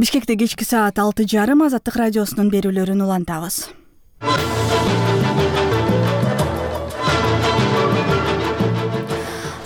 Бишкекте кечки саат 6:30 Азаттык радиосунун берүүлөрүн улантабыз.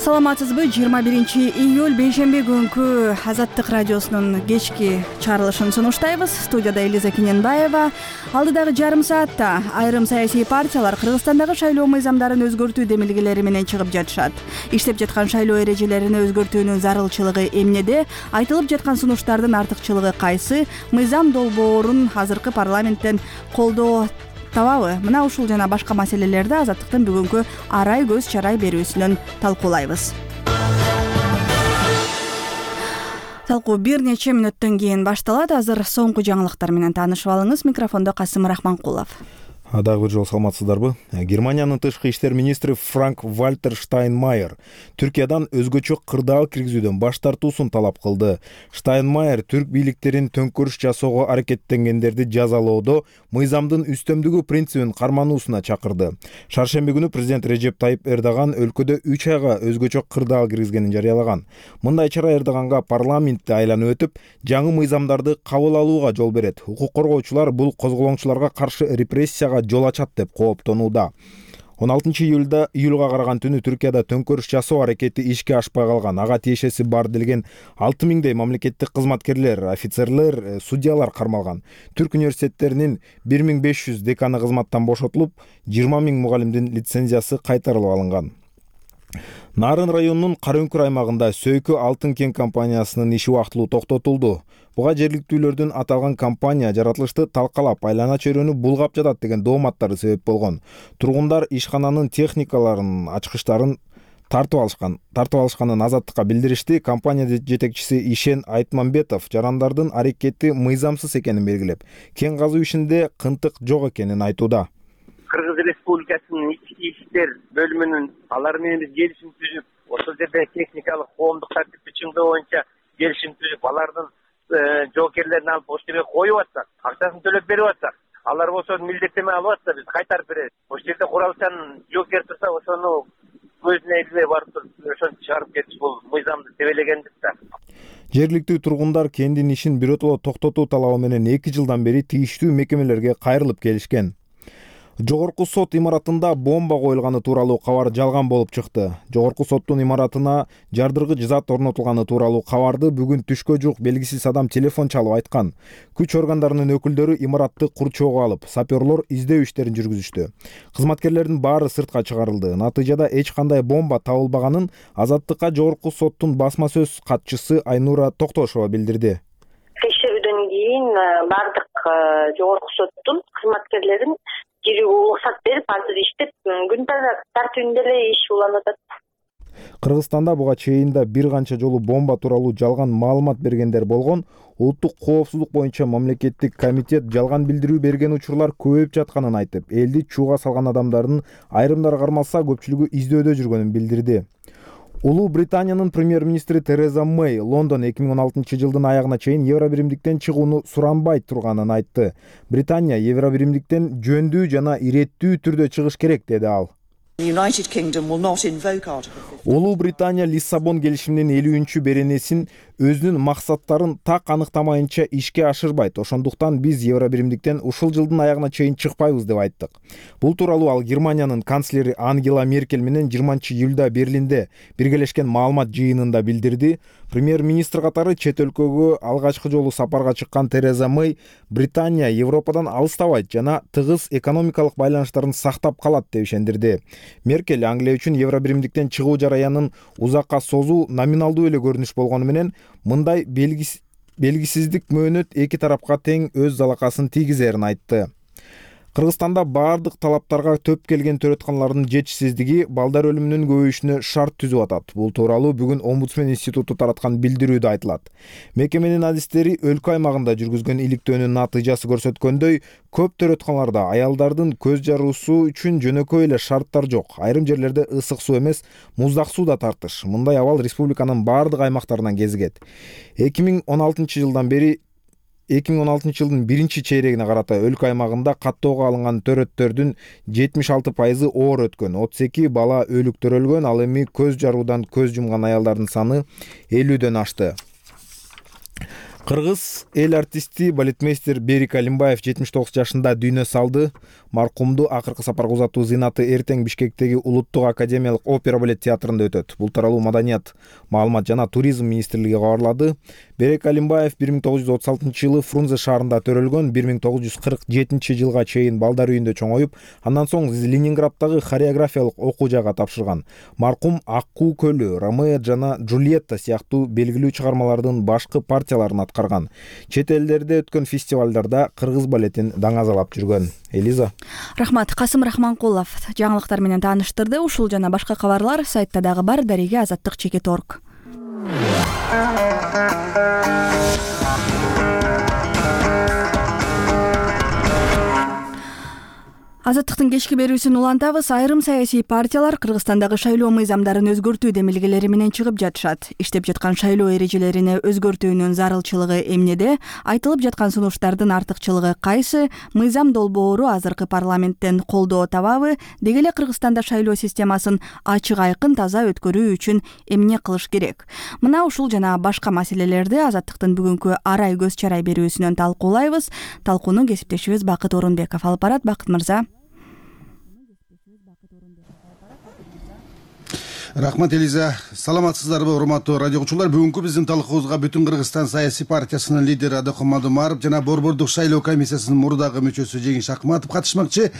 Саламатсызбы? 21-июль бейшемби күнкү Азаттык радиосунун кечки чыгарылышын сунуштайбыз. Студияда Элиза Кененбаева. Алдыдагы жарым саатта айрым саясий партиялар Кыргызстандагы шайлоо мыйзамдарын өзгөртүү демилгелери менен чыгып жатышат. Иштеп жаткан шайлоо эрежелерин өзгөртүүнүн зарылчылыгы эмнеде? Айтылып жаткан сунуштардын артыкчылыгы кайсы? Мыйзам долбоорун азыркы парламенттен колдоо табабы? Мына ушул жана башка маселелерди Азаттыктын бүгүнкү арай көз чарай берүүсүнөн талкуулайбыз. Талкуу бир нече мүнөттөн кийин башталат. Азыр соңку жаңылыктар менен таанышып алыңыз. Микрофондо Касым Рахманкулов. Дагы бир жолу саламатсыздарбы? Германиянын тышкы иштер министри Франк-Вальтер Штайнмайер Түркиядан өзгөчө кырдаал киргизүүдөн баш тартуусун талап кылды. Штайнмайер түрк бийликтерин төңкөрүш жасоого аракеттенгендерди жазалоодо мыйзамдын үстөмдүгү принцибин кармануусуна чакырды. Шаршемби күнү президент Режеп Тайип Эрдоган өлкөдө 3 айга өзгөчө кырдаал киргизгенин жарыялаган. Мындай чара Эрдоганга парламентти айланып өтүп, жаңы мыйзамдарды кабыл алууга жол берет. Укук коргоочулар бул козголоңчуларга каршы репрессияга жол ачат деп кооптонууда. 16-июлга караган түнү Түркияда төңкөрүш жасоо аракети ишке ашпай калган. Ага тиешеси бар делген 6000дей мамлекеттик кызматкерлер, офицерлер, судьялар кармалган. Түрк университеттеринин 1500 деканы кызматтан бошотулуп, 20 000 мугалимдин лицензиясы кайтарылып алынган. Нарын районунун Карөңкүр аймагында Сөйкү алтын кен компаниясынын иши убактылуу токтотулду. Буга жергиликтүүлөрдүн аталган компания жаратылышты талкалап, айлана чөйрөнү булгап жатат деген дооматтары себеп болгон. Тургундар ишкананын техникаларын, ачкычтарын тартып алышканын Азаттыкка билдиришти. Компания жетекчиси Ишен Айтмамбетов жарандардын аракети мыйзамсыз экенин белгилеп, кен казуу ишинде кынтык жок экенин айтууда. Кыргыз Республикасынын ички иштер бөлүмүнүн алар менен биз келишим түзүп, ошол жерде техникалык коомдук тартипти чыңдоо боюнча келишим түзүп, алардын жоокерлерин алып ошол жерге коюп атсак, акчасын төлөп берип атсак, алар болсо милдеттенме алып атса, биз кайтарып беребиз. Ошол жерде куралчан жоокер турса, ошону көзүнө илбей барып туруп, ошону чыгарып кетиш бул мыйзамды тебелегендик да. Жергиликтүү тургундар кендин ишин биротоло токтотуу талабы менен 2 жылдан бери тийиштүү мекемелерге кайрылып келишкен. Жогорку сот имаратында бомба коюлганы тууралуу кабар жалган болуп чыкты. Жогорку соттун имаратына жардыргыч зат орнотулганы тууралуу кабарды бүгүн түшкө жук белгисиз адам телефон чалып айткан. Күч органдарынын өкүлдөрү имаратты курчоого алып, саперлор издөө иштерин жүргүзүштү. Кызматкерлердин баары сыртка чыгарылды. Натыйжада эч кандай бомба табылбаганын Азаттыкка жогорку соттун басма сөз катчысы Айнура Токтошова билдирди. Текшерүүдөн кийин бардык жогорку соттун кызматкерлерин кирүүгө уруксат берип, азыр иштеп, күн тартибинде эле иш уланып атат. Кыргызстанда буга чейин да бир канча жолу бомба тууралуу жалган маалымат бергендер болгон. Улуттук коопсуздук боюнча мамлекеттик комитет жалган билдирүү берген учурлар көбөйүп жатканын айтып, элди чууга салган адамдардын айрымдары кармалса, көпчүлүгү издөөдө жүргөнүн билдирди. Улуу Британиянын премьер-министри Тереза Мэй Лондон 2016 жылдын аягына чейин Евробиримдиктен чыгууну суранбай турганын айтты. Британия Евробиримдиктен жөндүү жана иреттүү түрдө чыгыш керек, деди ал. Улуу Британия Лиссабон келишиминин 50-чү беренесин өзүнүн максаттарын так аныктамайынча ишке ашырбайт. Ошондуктан биз Евробиримдиктен ушул жылдын аягына чейин чыкпайбыз деп айттык. Бул тууралуу ал Германиянын канцлери Ангела Меркель менен 20-июлда Берлинде биргелешкен маалымат жыйынында билдирди. Премьер-министр катары чет өлкөгө алгачкы жолу сапарга чыккан Тереза Мэй Британия Европадан алыстабайт жана тыгыз экономикалык байланыштарын сактап калат деп ишендирди. Меркель Англия үчүн Евробиримдиктен чыгуу жараянын узакка созуу номиналдуу эле көрүнүш болгону менен мындай белгисиздик мөөнөт эки тарапка тең өз залакасын тийгизерин айтты. Кыргызстанда баардык талаптарга төп келген төрөтканалардын жетишсиздиги балдар өлүмүнүн көбөйүшүнө шарт түзүп атат. Бул тууралуу бүгүн Омбудсмен институту тараткан билдирүүдө айтылат. Мекеменин адистери өлкө аймагында жүргүзгөн иликтөөнүн натыйжасы көрсөткөндөй, көп төрөтканаларда аялдардын көз жаруусу үчүн жөнөкөй эле шарттар жок. Айрым жерлерде ысык суу эмес, муздак суу да тартыш. Мындай абал республиканын баардык аймактарынан кезигет. 2016 жылдын биринчи чейрегине карата өлкө аймагында каттоого алынган төрөттөрдүн 76% оор өткөн, 32 бала өлүктөрүлгөн, ал эми көз жаруудан көз жумган аялдардын саны 50дөн ашты. Кыргыз эл артисти балетмейстер Берик Алимбаев 79 жашында дүйнө салды. Маркумду акыркы сапарга узатуу зыйнаты эртең Бишкектеги Улуттук академиялык опера балет театрында өтөт. Бул тууралуу Маданият, маалымат жана туризм министрлиги кабарлады. Берик Алимбаев 1936-жылы Фрунзе шаарында төрөлгөн, 1947-жылга чейин балдар үйүндө чоңоюп, андан соң Ленинграддагы хореографиялык окуу жайга тапшырган. Маркум Аккуу көлү, Ромео жана Джульетта сыяктуу белгилүү чыгармалардын башкы партияларын аткарган. Чет элдерде өткөн фестивалдарда кыргыз балетин даңазалап жүргөн. Элиза. Рахмат. Касым Рахманкулов жаңылыктар менен тааныштырды. Ушул жана башка кабарлар сайтта дагы бар. Дареге Азаттык.org. Азаттыктын кечки берүүсүн улантабыз. Айрым саясий партиялар Кыргызстандагы шайлоо мыйзамдарын өзгөртүү демилгелери менен чыгып жатышат. Иштеп жаткан шайлоо эрежелерине өзгөртүүнүн зарылчылыгы эмнеде? Айтылып жаткан сунуштардын артыкчылыгы кайсы? Мыйзам долбоору азыркы парламенттен колдоо табабы? Деги эле Кыргызстанда шайлоо системасын ачык, айкын, таза өткөрүү үчүн эмне кылыш керек? Мына ушул жана башка маселелерди Азаттыктын бүгүнкү арай көз чарай берүүсүнөн талкуулайбыз. Талкууну кесиптешибиз Бакыт Орунбеков алып барат. Бакыт мырза. Рахмат, Элиза. Саламатсыздарбы, урматтуу радио угуучулар? Бүгүнкү биздин талкуубузга Бүтүн Кыргызстан саясий партиясынын лидери Адакым Мадумаров жана Борбордук шайлоо комиссиясынын мурдагы мүчөсү Жеңиш Акматов катышмакчы.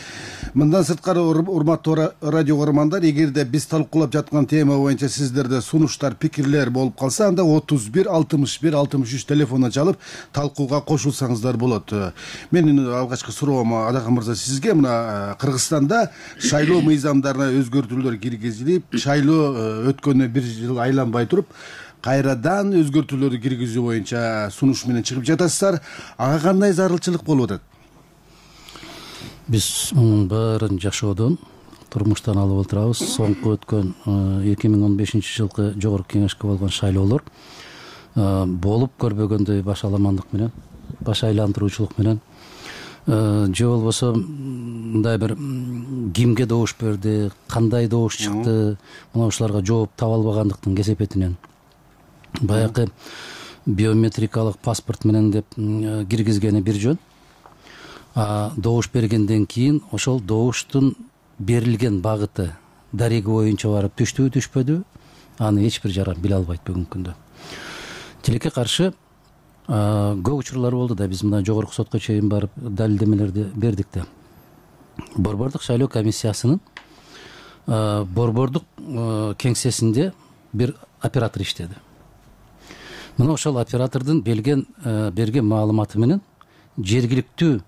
Мындан сырткары, урматтуу радио угармандар, эгерде биз талкуулап жаткан тема боюнча сиздерде сунуштар, пикирлер болуп калса, анда 31 61 63 телефонуна чалып талкууга кошулсаңыздар болот. Менин алгачкы суроом Адакым мырза сизге, мына Кыргызстанда шайлоо мыйзамдарына өзгөртүүлөр киргизилип, шайлоо өткөнү бир жыл айланбай туруп, кайрадан өзгөртүүлөрдү киргизүү боюнча сунуш менен чыгып жатасыздар. Ага кандай зарылчылык болуп атат? Биз мунун баарын жашоодон, турмуштан алып отурабыз. Соңку өткөн 2015-жылкы жогорку кеңешке болгон шайлоолор болуп көрбөгөндөй баш аламандык менен, баш айландыруучулук менен, же болбосо мындай бир кимге добуш берди, кандай добуш чыкты, мына ушуларга жооп таба албагандыктын кесепетинен баягы биометрикалык паспорт менен деп киргизгени бир жөн. Добуш бергенден кийин ошол добуштун берилген багыты дареги боюнча барып түштүбү, түшпөдү, аны эч бир жаран биле албайт бүгүнкү күндө. Тилекке каршы көп учурлар болду да, биз мына жогорку сотко чейин барып далилдемелерди бердик да. Борбордук шайлоо комиссиясынын борбордук кеңсесинде бир оператор иштеди. Мына ошол оператордун берген маалыматы менен жергиликтүү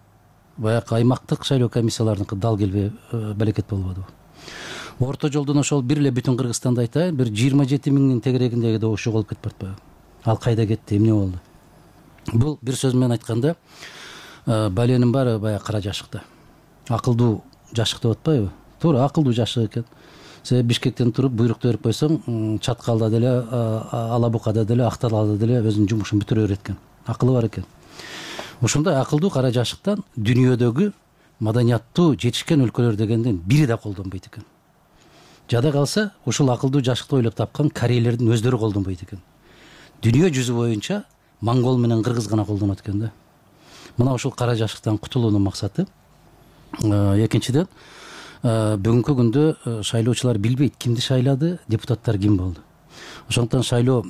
баягы аймактык шайлоо комиссияларыныкы дал келбей балекет болбоду. Орто жолдон ошол бир эле Бүтүн Кыргызстанды айтайын, бир 27 миңдин тегерегиндеги добуш жоголуп кетип баратпайбы? Ал кайда кетти, эмне болду? Бул бир сөз менен айтканда баленин баары баягы кара жашыкта. Акылдуу жашык деп атпайбы? Туура, акылдуу жашык экен. Себеби Бишкектен туруп буйрукту берип койсоң, Чаткалда деле, Алабукада деле, Акталада деле өзүнүн жумушун бүтүрө берет экен. Акылы бар экен. Ошондой акылдуу кара жашыктан дүйнөдөгү маданияттуу жетишкен өлкөлөр дегенден бири да колдонбойт экен. Жада калса, ушул акылдуу жашыкты ойлоп тапкан корейлердин өздөрү колдонбойт экен. Дүйнө жүзү боюнча монгол менен кыргыз гана колдонот экен да. Мына ушул кара жашыктан кутулуунун максаты. Экинчиден, бүгүнкү күндө шайлоочулар билбейт кимди шайлады, депутаттар ким болду. Ошондуктан шайлоо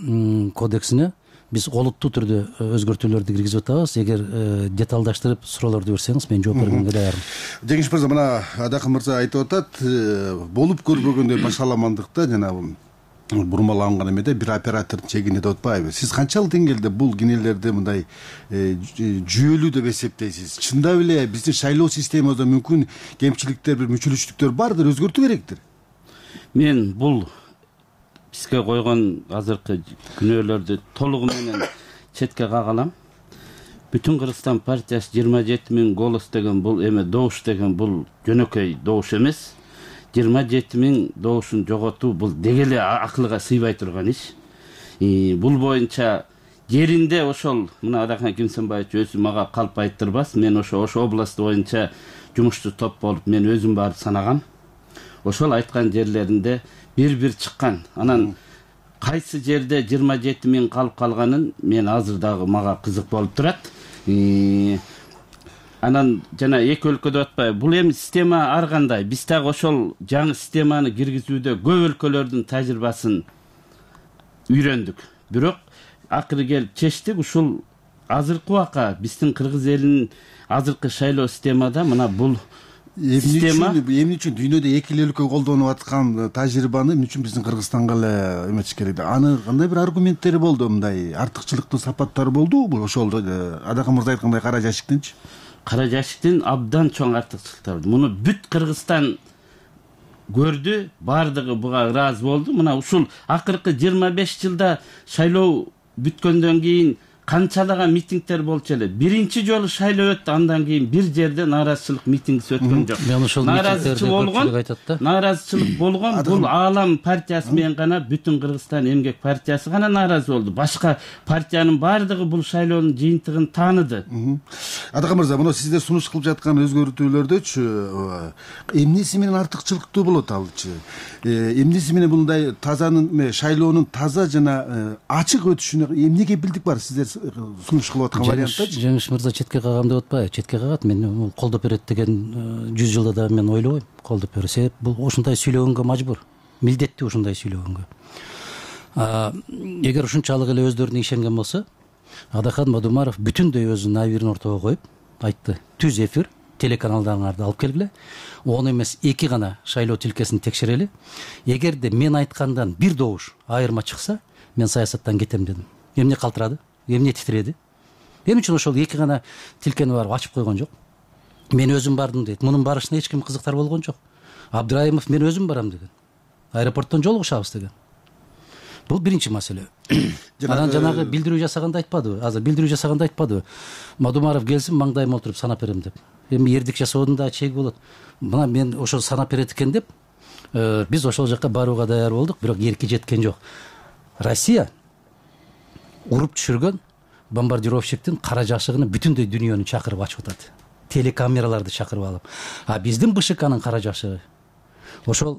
кодексине биз олуттуу түрдө өзгөртүүлөрдү киргизип атабыз. Эгер деталдаштырып суроолорду берсеңиз, мен жооп бергенге даярмын. Жеңиш мырза, мына Адакым мырза айтып атат, болуп көрбөгөндөй башаламандыкта жана бурмаланган эмеде бир оператор чегине деп атпайбы? Сиз канчалык деңгээлде бул кинелерди мындай жүйөлүү деп эсептейсиз? Чындап эле биздин шайлоо системабызда мүмкүн кемчиликтер, бир мүчүлүштүктөр бардыр, өзгөртүү керектир? Мен бул бизге койгон азыркы күнөөлөрдү толугу менен четке кагалам. Бүтүн Кыргызстан партиясы 27 миң голос деген бул эме добуш деген бул жөнөкөй добуш эмес. 27 миң добушун жоготуу бул деги эле акылга сыйбай турган иш. Бул боюнча жеринде ошол мына Адакан Кимсенбаевич өзү мага калп айттырбас. Мен ошо област боюнча жумушчу топ болуп мен өзүм барып санагам. Ошол айткан жерлеринде бир-бир чыккан. Анан кайсы жерде 27 миң калып калганын мен азыр дагы мага кызык болуп турат. Анан жана эки өлкөдө атпайбы, бул эми система ар кандай. Биз дагы ошол жаңы системаны киргизүүдө көп өлкөлөрдүн тажрыйбасын үйрөндүк. Бирок акыры келип чечтик, ушул азыркы убакка биздин кыргыз элинин азыркы шайлоо системада мына бул система эмне үчүн дүйнөдө эки эле өлкө колдонуп аткан тажрыйбаны эмне үчүн биздин Кыргызстанга эле эметиш керек? Аны кандай бир аргументтери болду, мындай артыкчылыктуу сапаттары болдубу? Ошол Адакан мырза айткандай кара жашиктинчи? Кара жашиктин абдан чоң артыкчылыктары. Муну бүт Кыргызстан көрдү, бардыгы буга ыраазы болду. Мына ушул акыркы 25 жылда шайлоо бүткөндөн кийин канчалаган митингдер болчу эле. Биринчи жолу шайлоо өттү, андан кийин бир жерде нааразычылык митингиси өткөн жок. Нааразычылык болгон бул Аалам партиясы менен гана бүтүн Кыргызстан эмгек партиясы гана нааразы болду. Башка партиянын бардыгы бул шайлоонун жыйынтыгын тааныды. Адакан мырза, мына сиздер сунуш кылып жаткан өзгөртүүлөрдөчү эмнеси менен артыкчылыктуу болот алчы? Эмнеси менен мындай тазанын шайлоонун таза жана ачык өтүшүнө эмне кепилдик бар сиздер сунуш кылып аткан варианттачы? Жеңиш мырза четке кагам деп атпайбы? Четке кагат. Мен колдоп берет деген 100 жылда да мен ойлобойм колдоп берет. Себеп бул ушундай сүйлөгөнгө мажбур, милдеттүү ушундай сүйлөгөнгө. Эгер ушунчалык эле өздөрүнө ишенген болсо, Адакан Мадумаров бүтүндөй өзүнүн абийирин ортого коюп айтты: түз эфир телеканалдарыңарды алып келгиле, он эмес 2 гана шайлоо тилкесин текшерели. Эгерде мен айткандан бир добуш айырма чыкса, мен саясаттан кетем дедим. Эмне калтырады? Эмне титиреди? Эмне үчүн ошол 2 гана тилкени барып ачып койгон жок? Мен өзүм бардым дейт. Мунун барышына эч ким кызыктар болгон жок. Абдраимов мен өзүм барам деген. Аэропорттон жолугушабыз деген. Бул биринчи маселе. Анан жанагы билдирүү жасаганды айтпадыбы? Азыр билдирүү жасаганды айтпадыбы? Мадумаров келсин, маңдайыма отуруп санап берем деп. Эми эрдик жасоодун да чеги болот. Мына мен ошол санап берет экен деп, биз ошол жакка барууга даяр болдук, бирок эрки жеткен жок. Россия уруп түшүргөн бомбардировщиктин кара жашыгын бүтүндөй дүйнөнү чакырып ачып атат. Телекамераларды чакырып алып. А биздин БШКнын кара жашыгы ошол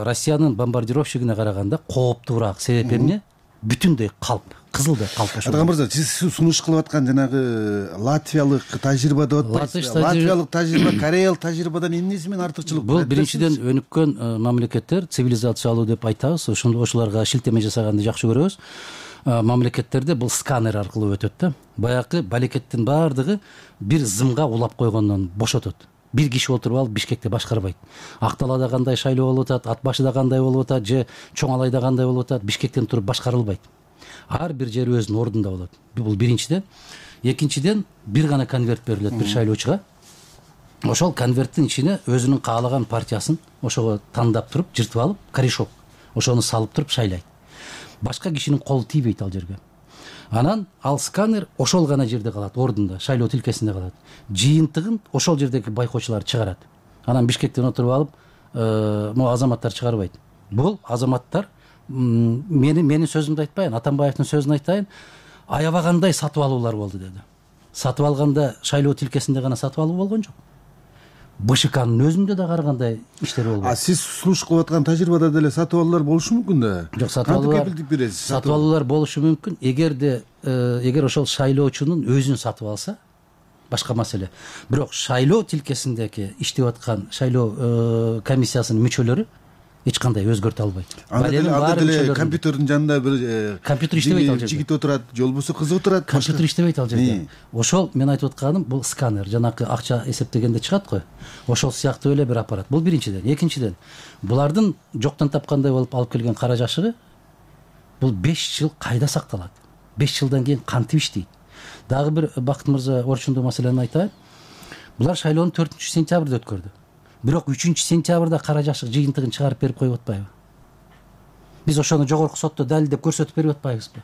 Россиянын бомбардировщигине караганда кооптуураак. Себеп эмне? Бүтүндөй калп, кызылдай калп. Адакан мырза, сиз сунуш кылып аткан жанагы латвиялык тажрыйба деп атпайсызбы? Латвиялык тажрыйба, кореялык тажрыйбадан эмнеси менен артыкчылык? Бул биринчиден өнүккөн мамлекеттер, цивилизациялуу деп айтабыз. Ошолорго шилтеме жасаганды жакшы көрөбүз. Мамлекеттерде бул сканер аркылуу өтөт да. Баягы балекеттин баардыгы бир зымга улап койгондон бошотот. Бир киши отуруп алып Бишкекте башкарбайт. Акталада кандай шайлоо болуп атат, Ат башыда кандай болуп атат, же Чоң Алайда кандай болуп атат, Бишкектен туруп башкарылбайт. Ар бир жери өзүнүн ордунда болот. Бул биринчиден. Экинчиден, бир гана конверт берилет бир шайлоочуга. Ошол конверттин ичине өзүнүн каалаган партиясын ошого тандап туруп, жыртып алып, корешок ошону салып туруп шайлайт. Башка кишинин колу тийбейт ал жерге. Анан ал сканер ошол гана жерде калат, ордунда, шайлоо тилкесинде калат. Жыйынтыгын ошол жердеги байкоочулар чыгарат. Анан Бишкектен отуруп алып, могу азаматтар чыгарбайт. Бул азаматтар менин сөзүмдү айтпайын, Атамбаевдин сөзүн айтайын, аябагандай сатып алуулар болду деди. Сатып алганда шайлоо тилкесинде гана сатып алуу болгон жок. БШКнын өзүндө да ар кандай иштер болду. Сиз сунуш кылып аткан тажрыйбада деле сатып алуулар болушу мүмкүн да? Жок, сатып алуулар болушу мүмкүн. Эгер ошол шайлоочунун өзүн сатып алса, башка маселе. Бирок шайлоо тилкесиндеги иштеп аткан шайлоо комиссиясынын мүчөлөрү эч кандай өзгөртө албайт. Анда деле компьютердин жанында бир компьютер иштебейт ал жерде. Жигит отурат, же болбосо кыз отурат. Компьютер иштебейт ал жерде. Ошол мен айтып атканым бул сканер, жанакы акча эсептегенде чыгат го. Ошол сыяктуу эле бир аппарат. Бул биринчиден. Экинчиден, булардын жоктон тапкандай болуп алып келген кара жашыгы бул 5 жыл кайда сакталат? 5 жылдан кийин кантип иштейт? Дагы бир Бакыт мырза орчундуу маселени айтайын. Булар шайлоону 4-сентябрда өткөрдү. Бирок 3-сентябрда кара жашык жыйынтыгын чыгарып берип коюп атпайбы? Биз ошону жогорку сотто далилдеп көрсөтүп берип атпайбызбы?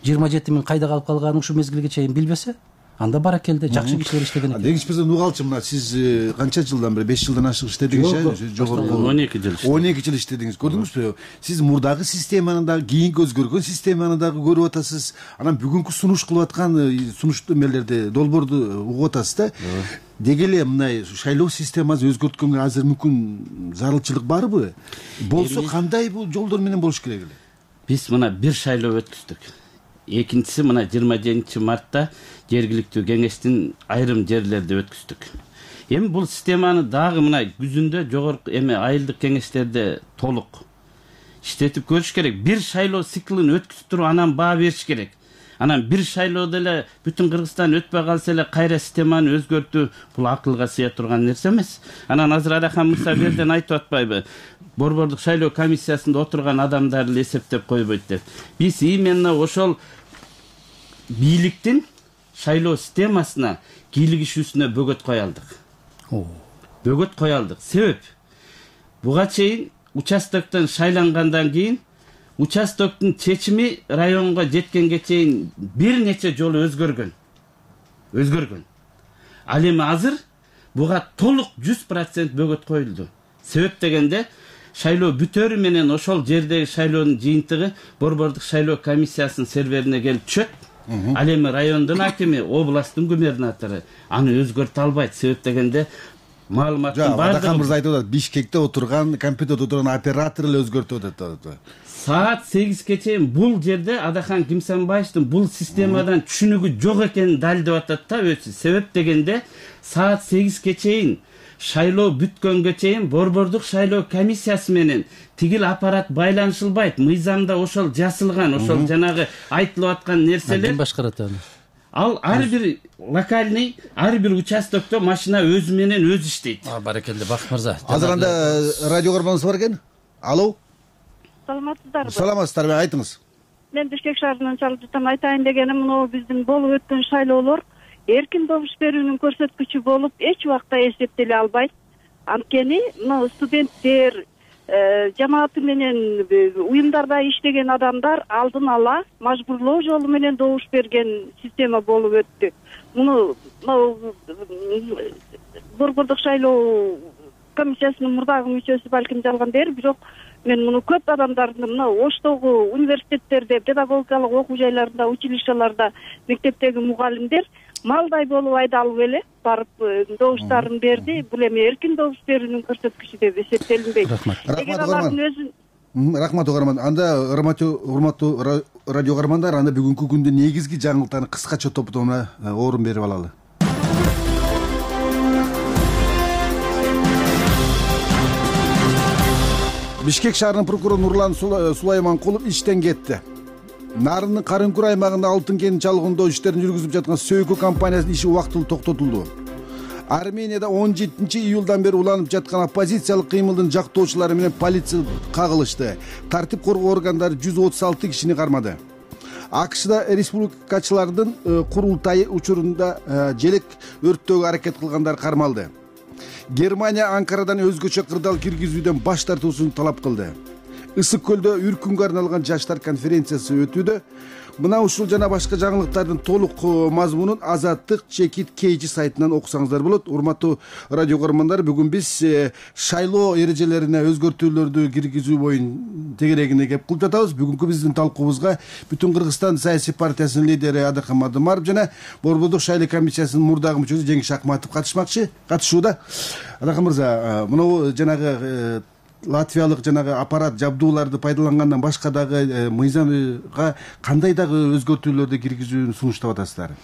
27 миң кайда калып калганын ушу мезгилге чейин билбесе, анда баракелде жакшы кишилер иштеген экен. Деңиз мырза, угалчы, мына сиз канча жылдан бери? 5 жылдан ашык иштедиңиз, жогорку 12 жыл. 12 жыл иштедиңиз. Көрдүңүзбү? Сиз мурдагы системаны да, кийинки өзгөргөн системаны дагы көрүп атасыз. Анан бүгүнкү сунуш кылып аткан сунуштуу эмелерди, долбоорду угуп атасыз да. Деги эле мындай шайлоо системасын өзгөрткөнгө азыр мүмкүн зарылчылык барбы? Болсо кандай бул жолдор менен болуш керек эле? биз мына бир шайлоо өткүздүк. Экинчиси мына 27 мартта жергиликтүү кеңештин айрым жерлерде өткүздүк. Эми бул системаны дагы мына күзүндө жогорку айылдык кеңештерде толук иштетип көрүш керек. Бир шайлоо циклын өткүзүп туруп анан баа бериш керек. Анан бир шайлоодо эле бүтүн Кыргызстан өтпөй калса эле кайра системаны өзгөртүү бул акылга сыя турган нерсе эмес. Анан азыр Адахан Мырза берден айтып атпайбы? Борбордук шайлоо комиссиясында отурган адамдарды эле эсептеп койбойт деп. Биз именно ошол бийликтин шайлоо системасына кийлигишүүсүнө бөгөт кое алдык. Бөгөт кое алдык. Себеп буга чейин участоктон шайлангандан кийин участоктун чечими районго жеткенге чейин бир нече жолу өзгөргөн. Ал эми азыр буга толук 100% бөгөт коюлду. Себеп дегенде шайлоо бүтөрү менен ошол жердеги шайлоонун жыйынтыгы борбордук шайлоо комиссиясынын серверине келип түшөт. Ал эми райондун акими, областтын губернатору аны өзгөртө албайт. Себеп дегенде маалыматтын баардыгы Адахан Мырза айтып атат, Бишкекте отурган, компьютерде отурган оператор эле өзгөртүп атат. Саат 8ге чейин бул жерде Адахан Кимсанбаевдин бул системадан түшүнүгү жок экенин далилдеп атат да өзү. Себеп дегенде саат 8ге чейин шайлоо бүткөнгө чейин борбордук шайлоо комиссиясы менен тигил аппарат байланышылбайт. Мыйзамда ошол жасылган, ошол жанагы айтылып аткан нерселер. Ким башкарат аны? Ал ар бир локальный, ар бир участокто машина өзү менен өзү иштейт. Баракелде Бакыт мырза. Азыр анда радио көргөнүңүз бар экен. Алло. Саламатсыздарбы? Саламатсыздарбы, айтыңыз. Мен Бишкек шаарынан чалып жатам. Айтайын дегеним, мына биздин болуп өткөн шайлоолор эркин добуш берүүнүн көрсөткүчү болуп эч убакта эсептеле албайт. Анткени мына студенттер, жамааты менен уюмдарда иштеген адамдар алдын ала мажбурлоо жолу менен добуш берген система болуп өттү. Муну борбордук шайлоо комиссиясынын мурдагы мүчөсү балким жалгандыр, бирок мен муну көп адамдардын мына Оштогу университеттерде, педагогикалык окуу жайларында, училищаларда, мектептеги мугалимдер малдай болуп айдалып эле барып добуштарын берди. Бул эми эркин добуш берүүнүн көрсөткүчү деп эсептелинбейт. Рахмат угарман. Анда урматтуу радио угармандар, анда бүгүнкү күндүн негизги жаңылыктарын кыскача топтомуна орун берип алалы. Бишкек шаарынын прокурору Нурлан Сулайманкулов иштен кетти. Нарындын Карынкүр аймагында алтын кенин чалгындоо иштерин жүргүзүп жаткан Сөйкө компаниясынын иши убактылуу токтотулду. Арменияда 17-июлдан бери уланып жаткан оппозициялык кыймылдын жактоочулары менен полиция кагылышты. Тартип коргоо органдары 136 кишини кармады. АКШда республикачылардын курултайы учурунда желек өрттөөгө аракет кылгандар кармалды. Германия Анкарадан өзгөчө кырдаал киргизүүдөн баш тартуусун талап кылды. Ысык көлдө үркүнгө арналган жаштар конференциясы өтүүдө. Мына ушул жана башка жаңылыктардын толук мазмунун Азаттык Чекит KG сайтынан окусаңыздар болот. Урматтуу радио көрөрмандар, бүгүн биз шайлоо эрежелерине өзгөртүүлөрдү киргизүү боюнча тегерегине кеп кылып жатабыз. Бүгүнкү биздин талкуубузга Бүтүн Кыргызстан саясий партиясынын лидери Адахан Мадымаров жана борбордук шайлоо комиссиясынын мурдагы мүчөсү Жеңиш Акматов катышууда. Адахан мырза, мына жанагы латвиялык жанагы аппарат жабдууларды пайдалангандан башка дагы мыйзамга кандай дагы өзгөртүүлөрдү киргизүүнү сунуштап атасыздар?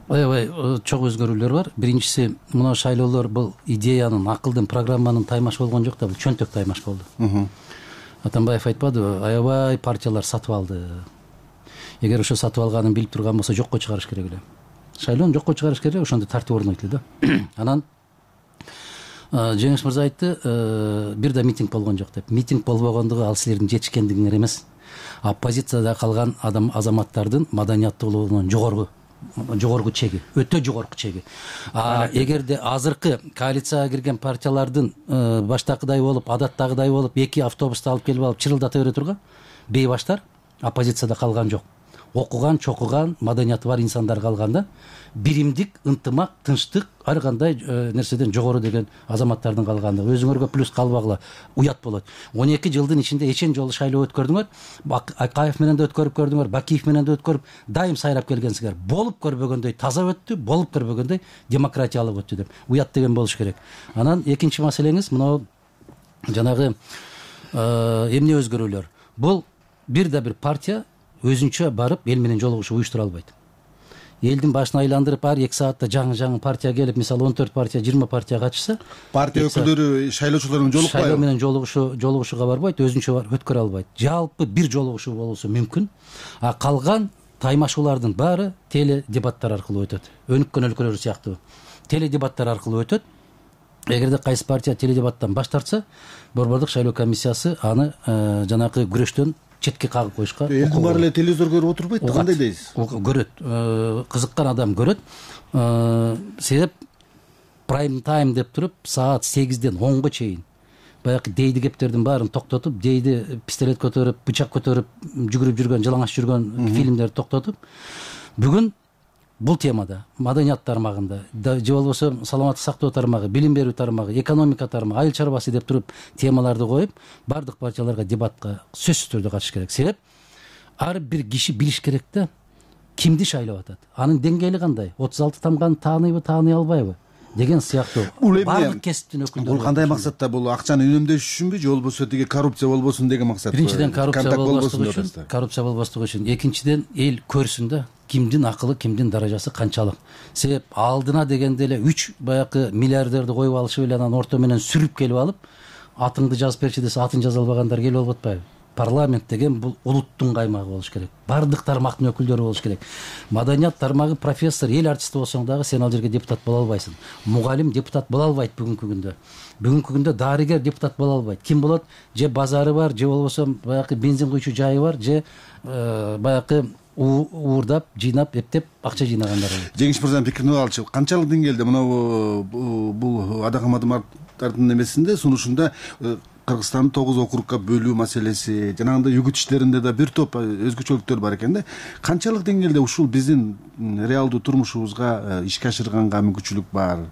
Аябай чоң өзгөрүүлөр бар. Биринчиси, мына шайлоолор бул идеянын, акылдын, программанын таймаш болгон жок да, бул чөнтөк таймаш болду. Атамбаев айтпадыбы, аябай партиялар сатып алды. Эгер ошо сатып алганын билип турган болсо жокко чыгарыш керек эле. Шайлоону жокко чыгарыш керек, ошондо тартип орнойт эле да. Анан Жеңиш мырза айтты, бир да митинг болгон жок деп. Митинг болбогондугу ал силердин жетишкендигиңер эмес. Оппозицияда калган азаматтардын маданияттуулугунун жогорку чеги, өтө жогорку чеги. Эгерде азыркы коалицияга кирген партиялардын баштакыдай болуп, адаттагыдай болуп, эки автобусту алып келип алып чырылдата бере турган бейбаштар оппозицияда калган жок. Окуган, чокуган, маданияты бар инсандар калганда, биримдик, ынтымак, тынчтык, ар кандай нерседен жогору деген азаматтардын калганда өзүңөргө плюс калбагыла, уят болот. 12 жылдын ичинде эчен жолу шайлоо өткөрдүңөр, Акаев менен да өткөрүп көрдүңөр, Бакиев менен да өткөрүп, дайым сайрап келгенсиңер. Болуп көрбөгөндөй таза өттү, болуп көрбөгөндөй демократиялык өттү деп. Уят деген болуш керек. Анан экинчи маселеңиз мына жанагы эмне өзгөрүүлөр. Бул бир да бир партия өзүнчө барып эл менен жолугушуу уюштура албайт. Элдин башын айландырып ар 2 саатта жаңы партия келип, мисалы 14 партия, 20 партия катышса, партия өкүлдөрү шайлоочулар менен жолукпайбы? Шайлоо менен жолугушууга барбайт, өзүнчө өткөрө албайт. Жалпы бир жолугушуу болсо мүмкүн, а калган таймашуулардын баары теледебаттар аркылуу өтөт. Өнүккөн өлкөлөр сыяктуу теледебаттар аркылуу өтөт. Эгерде кайсы партия теледебаттан баш тартса, Борбордук шайлоо комиссиясы аны жанакы күрөштөн четке кагып коюшка. Элдин баары эле телевизор көрүп отурбайт да, кандай дейсиз? Көрөт, кызыккан адам көрөт. Себеп прайм тайм деп туруп саат 8ден 10го чейин баягы дейди кептердин баарын токтотуп, дейди пистолет көтөрүп, бычак көтөрүп жүгүрүп жүргөн, жалаңаш жүргөн фильмдерди токтотуп, бүгүн бул темада маданият тармагында же болбосо саламаттык сактоо тармагы, билим берүү тармагы, экономика тармагы, айыл чарбасы деп туруп темаларды коюп, бардык партияларга дебатка сөзсүз түрдө катыш керек. Себеп ар бир киши билиш керек да, кимди шайлап атат, анын деңгээли кандай, 36 тамганы тааныйбы, тааный албайбы деген сыяктуу бардык кесиптин өкүлдөрү. Бул кандай максатта? Бул акчаны үнөмдөш үчүнбү же болбосо тиги коррупция болбосун деген максатпы? Биринчиден коррупция болбослугу үчүн, экинчиден эл көрсүн да кимдин акылы, кимдин даражасы канчалык. Себеп алдына дегенде эле 3 баягы миллиардерди коюп алышып эле анан орто менен сүрүп келип алып, атыңды жазып берчи десе атын жаза албагандар келип алып атпайбы? Парламент деген бул улуттун каймагы болуш керек. Бардык тармактын өкүлдөрү болуш керек. Маданият тармагы профессор, эл артисти болсоң дагы сен ал жерге депутат боло албайсың. Мугалим депутат боло албайт бүгүнкү күндө. Бүгүнкү күндө дарыгер депутат боло албайт. Ким болот? Же базары бар, же болбосо баягы бензин куйчу жайы бар, же баягы уурдап, жыйнап, эптеп акча жыйнагандар. Жеңиш мырзанын пикирин алчы. Канчалык деңгээлде мына бул Адакам Адымовдун эмесинде, сунушунда Кыргызстанды 9 округга бөлүү маселеси, жанагындай үгүт иштеринде да бир топ өзгөчөлүктөр бар экен да. Канчалык деңгээлде ушул биздин реалдуу турмушубузга ишке ашырганга мүмкүнчүлүк бар?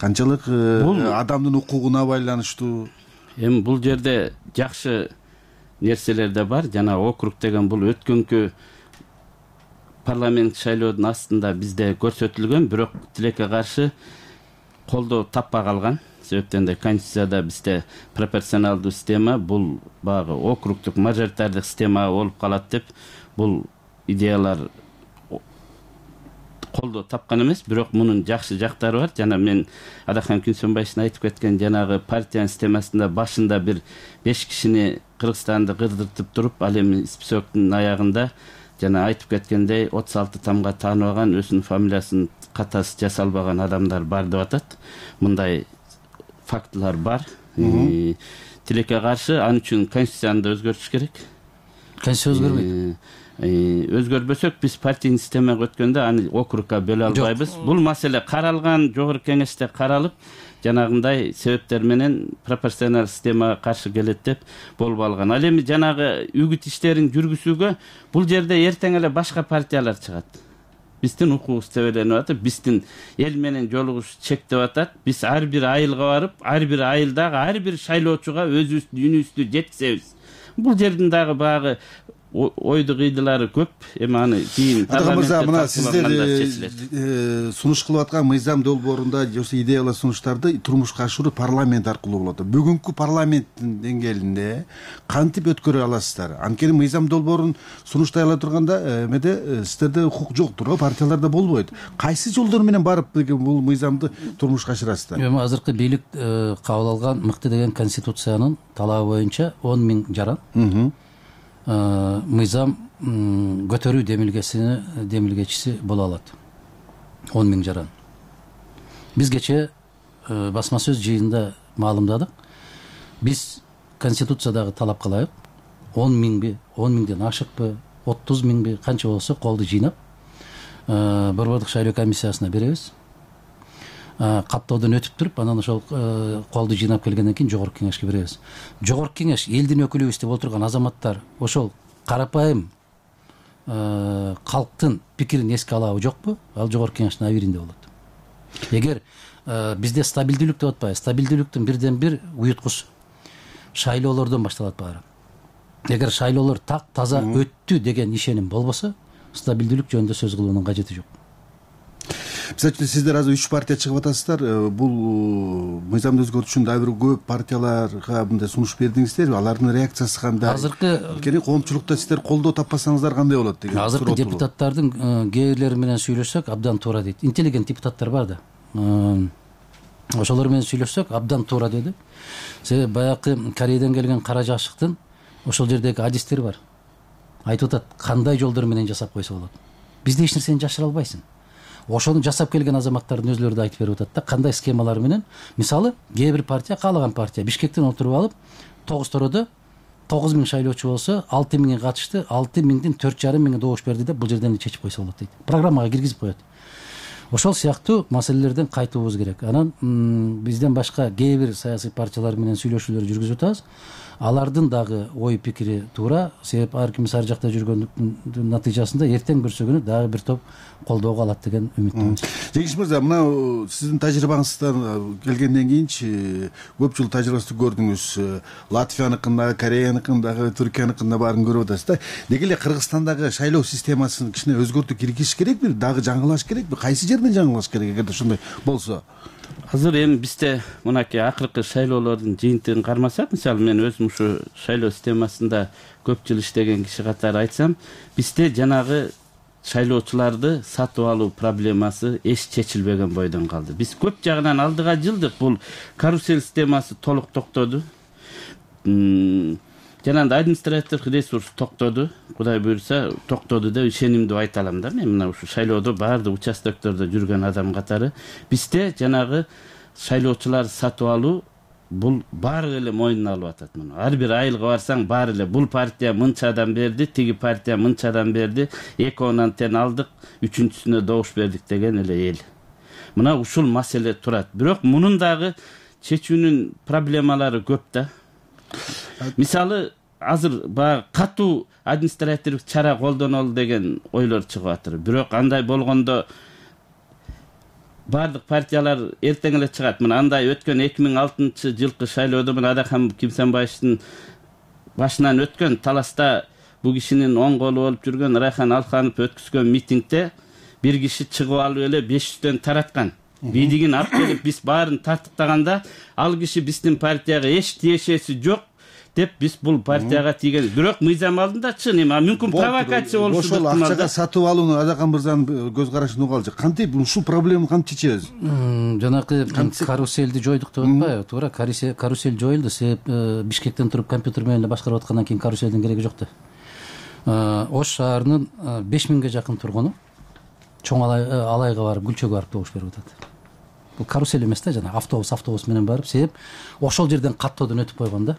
Канчалык адамдын укугуна байланыштуу? Эми бул жерде жакшы нерселер да бар. Жана округ деген бул өткөнкү парламент шайлоодун астында бизде көрсөтүлгөн, бирок тилекке каршы колдоо таппай калган. Себептен де конституцияда бизде пропорционалдуу система, бул багы округдук мажоритардык система болуп калат деп бул идеялар колдоо тапкан эмес, бирок мунун жакшы жактары бар. Жана мен Адакан Күнсөнбаевдин айтып кеткен жанагы партиянын системасында башында бир 5 кишини Кыргызстанды кырдыртып туруп, ал эми списоктун аягында жана айтып кеткендей 36 тамга тааныбаган, өзүнүн фамилиясын катасы жасалбаган адамдар бар деп атат. Мындай фактылар бар. Тилекке каршы ал үчүн конституцияны да өзгөртүш керек. Конституция өзгөрбөйт. Өзгөрбөсөк биз партийный системага өткөндө аны округга бөлө албайбыз. Бул маселе каралган, жогорку кеңеште каралып, жанагындай себептер менен пропорционал системага каршы келет деп болуп алган. Ал эми жанагы үгүт иштерин жүргүзүүгө бул жерде эртең эле башка партиялар чыгат. Биздин укугубуз тебеленип атат, биздин эл менен жолугуш чектеп атат. Биз ар бир айылга барып, ар бир айылдагы ар бир шайлоочуга өзүбүздүн үнүбүздү жеткизебиз. Бул жердин дагы багы ойду кыйдылары көп. Эми аны кийин парламентте мына сиздер сунуш кылып аткан мыйзам долбоорунда же идеялар сунуштарды турмушка ашыруу парламент аркылуу болот. Бүгүнкү парламенттин деңгээлинде кантип өткөрө аласыздар? Анткени мыйзам долбоорун сунуштай ала турганда эмеде сиздерде укук жоктур, партияларда болбойт. Кайсы жолдор менен барып бул мыйзамды турмушка ашырасыздар? Эми азыркы бийлик кабыл алган мыкты деген конституциянын талабы боюнча 10 000 жаран мыйзам көтөрүү демилгечиси боло алат. 10 000 жаран. Биз кече басма сөз жыйынында маалымдадык. Биз конституциядагы талап кылайык. 10 000би, 10 000ден ашыкпы, 30 000би, канча болсо колду жыйнап Борбордук шайлоо комиссиясына беребиз. Каттоодон өтүп туруп, анан ошол колду жыйнап келгенден кийин жогорку кеңешке беребиз. Жогорку кеңеш элдин өкүлүбүз деп отурган азаматтар ошол карапайым калктын пикирин эске алабы жокпу? Ал жогорку кеңештин абийиринде болот. Эгер бизде стабилдүүлүк деп атпайбы, стабилдүүлүктүн бирден бир уюткусу шайлоолордон башталат баары. Эгер шайлоолор так таза өттү деген ишеним болбосо, стабилдүүлүк жөнүндө сөз кылуунун кажети жок. Мисалы үчүн сиздер азыр 3 партия чыгып атасыздар. Бул мыйзамды өзгөртүү үчүн дагы бир көп партияларга мындай сунуш бердиңиздерби? Алардын реакциясы кандай? Азыркы коомчулукта сиздер колдоо таппасаңыздар кандай болот деген. Азыркы депутаттардын кээ бирлери менен сүйлөшсөк абдан туура дейт. Интеллигент депутаттар бар да. Ошолор менен сүйлөшсөк абдан туура деди. Себеби баягы Кореядан келген кара жашыктын ошол жердеги адистери бар. Айтып атат, кандай жолдор менен жасап койсо болот. Бизде эч нерсени жашыра албайсың. Ошону жасап келген азаматтардын өзлөрү да айтып берип атат да, кандай схемалар менен. Мисалы, кээ бир партия, каалаган партия Бишкектен отуруп алып, 9 тородо 9000 шайлоочу болсо, 6000 катышты, 6000дин 4,5 добуш берди деп бул жерден чечип койсо болот дейт. Программага киргизип коет. Ошол сыяктуу маселелерден кайтуубуз керек. Анан бизден башка кээ бир саясий партиялар менен сүйлөшүүлөр жүргүзүп атабыз. Алардын дагы ой пикири туура. Себеп ар ким ар жакта жүргөндүн натыйжасында эртең бүрсөгүнү дагы бир топ колдоого алат деген үмүттөмүн. Жеңиш мырза, мына сиздин тажрыйбаңыздан келгенден кийинчи көп жыл тажрыйбаңызды көрдүңүз. Латвияныкын дагы, Кореяныкын дагы, Түркияныкын да баарын көрүп атасыз да. Деги эле Кыргызстандагы шайлоо системасын кичине өзгөртүү киргизиш керекпи? Дагы жаңылаш керекпи? Кайсы жерден жаңылаш керек эгерде ушундай болсо? Азыр эми бизде мынакей акыркы шайлоолордун жыйынтыгын кармасак, мисалы мен өзүм ушу шайлоо системасында көп жыл иштеген киши катары айтсам, бизде жанагы шайлоочуларды сатып алуу проблемасы эч чечилбеген бойдон калды. Биз көп жагынан алдыга жылдык. Бул карусель системасы толук токтоду. Жанагындай административдик ресурс токтоду. Кудай буйрса токтоду деп ишенимдүү айта алам да. Мен мына ушу шайлоодо баардык участоктордо жүргөн адам катары бизде жанагы шайлоочулар сатып алуу бул баары эле мойнуна алып атат муну. Ар бир айылга барсаң баары эле бул партия мынчадан берди, тиги партия мынчадан берди, 2-10 тең алдык, 3-сүнө добуш бердик деген эле эл. Мына ушул маселе турат. Бирок мунун дагы чечүүнүн проблемалары көп да. Мисалы, азыр баягы катуу административдик чара колдонолу деген ойлор чыгып атыр. Бирок андай болгондо бардык партиялар эртең эле чыгат. Мына андай өткөн 2006-жылкы шайлоодо мына Адакан Кимсенбаевдин башынан өткөн таласта бул кишинин оң колу болуп жүргөн Райхан Алханов өткүзгөн митингде бир киши чыгып алып эле 500төн тараткан. Бидигин алып келип биз баарын тартыктаганда ал киши биздин партияга эч тиешеси жок деп биз бул партияга тийген. Бирок мыйзам алдында чын эми мүмкүн провокация болушу ошол акчага сатып алууну Адакан мырзанын көз карашын угалы. Кантип ушул проблеманы кантип чечебиз? Жанагы каруселди жойдук деп атпайбы? Туура, карусель жоюлду. Себеп Бишкектен туруп компьютер менен эле башкарып аткандан кийин каруселдин кереги жок да. Ош шаарынын 5000ге жакын тургуну чоң алайга барып, Гүлчөгө барып добуш берип атат. Бул карусель эмес да, жана автобус менен барып, себеп ошол жерден каттоодон өтүп койгон да.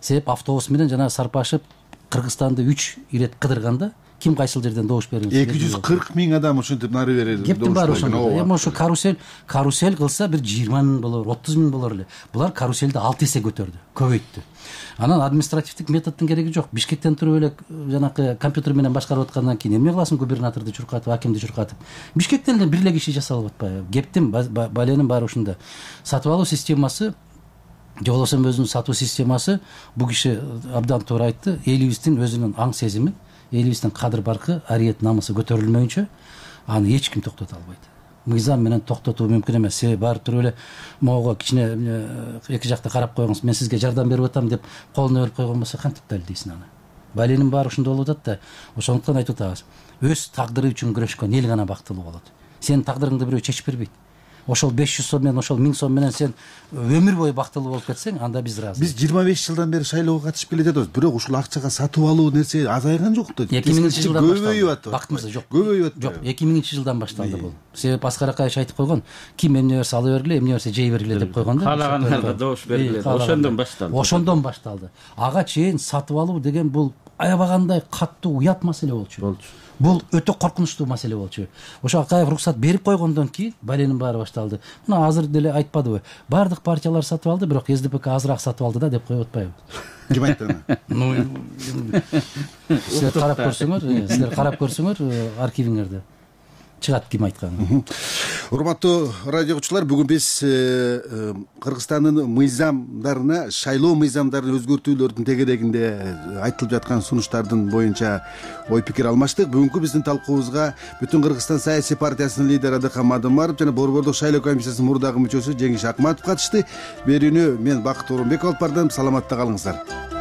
Себеп автобус менен жана сарпашып Кыргызстанды 3 ирет кыдырганда ким кайсыл жерден добуш бериңиз? 240 миң адам ушинтип нары бери добуш кептин баары ошондо. Эми ошо карусель кылса бир 20 миң болор, 30 миң болор эле. Булар каруселди 6 эсе көтөрдү, көбөйттү. Анан административдик методдун кереги жок. Бишкектен туруп эле жанакы компьютер менен башкарып аткандан кийин эмне кыласың? Губернаторду чуркатып, акимди чуркатып. Бишкектен эле бир эле киши жасалып атпайбы? Кептин баленин баары ушунда. Сатып алуу системасы, же болбосо өзүнүн сатуу системасы, бул киши абдан туура айтты. Элибиздин өзүнүн аң сезими, элибиздин кадыр баркы, ариет намысы көтөрүлмөйүнчө аны эч ким токтото албайт. Мыйзам менен токтотуу мүмкүн эмес. Себеби баары туруп эле могу кичине эки жакта карап койгоңуз, мен сизге жардам берип атам деп колуна берип койгон болсо кантип далилдейсиң аны? Баленин баары ошондой болуп атат да. Ошондуктан айтып атабыз. Өз тагдыры үчүн күрөшкөн эл гана бактылуу болот. Сенин тагдырыңды бирөө чечип бербейт. Ошол 500 сом менен, ошол 1000 сом менен сен өмүр бою бактылуу болуп кетсең, анда биз ыраазы. Биз 25 жылдан бери шайлоого катышып келе жатабыз. Бирок ушул акчага сатып алуу нерсе азайган жок да. 2000-жылдан көбөйүп атат. Бактымыз жок. Көбөйүп атат. Жок, 2000-жылдан башталды бул. Себеп Аскар Акаевич айтып койгон, ким эмне берсе ала бергиле, эмне берсе жей бергиле деп койгон да. Каалагандарга добуш бергиле. Ошондон башталды. Ага чейин сатып алуу деген бул аябагандай каттуу уят маселе болчу. Бул өтө коркунучтуу маселе болчу. Ошо Акаев уруксат берип койгондон кийин баленин баары башталды. Мына азыр деле айтпадыбы? Бардык партиялар сатып алды, бирок СДПК азыраак сатып алды да деп коюп атпайбы? Ким айтты аны? Силер карап көрсөңөр архивиңерде чыгат ким айтканы. урматтуу радио угуучулар, бүгүн биз Кыргызстандын мыйзамдарына, шайлоо мыйзамдарын өзгөртүүлөрдүн тегерегинде айтылып жаткан сунуштардын боюнча ой пикир алмаштык. Бүгүнкү биздин талкуубузга Бүтүн Кыргызстан саясий партиясынын лидери Адыкхан Мадымаров жана Борбордук шайлоо комиссиясынын мурдагы мүчөсү Жеңиш Акматов катышты. Берүүнү мен Бакыт Орунбеков алып бардым. Саламатта калыңыздар.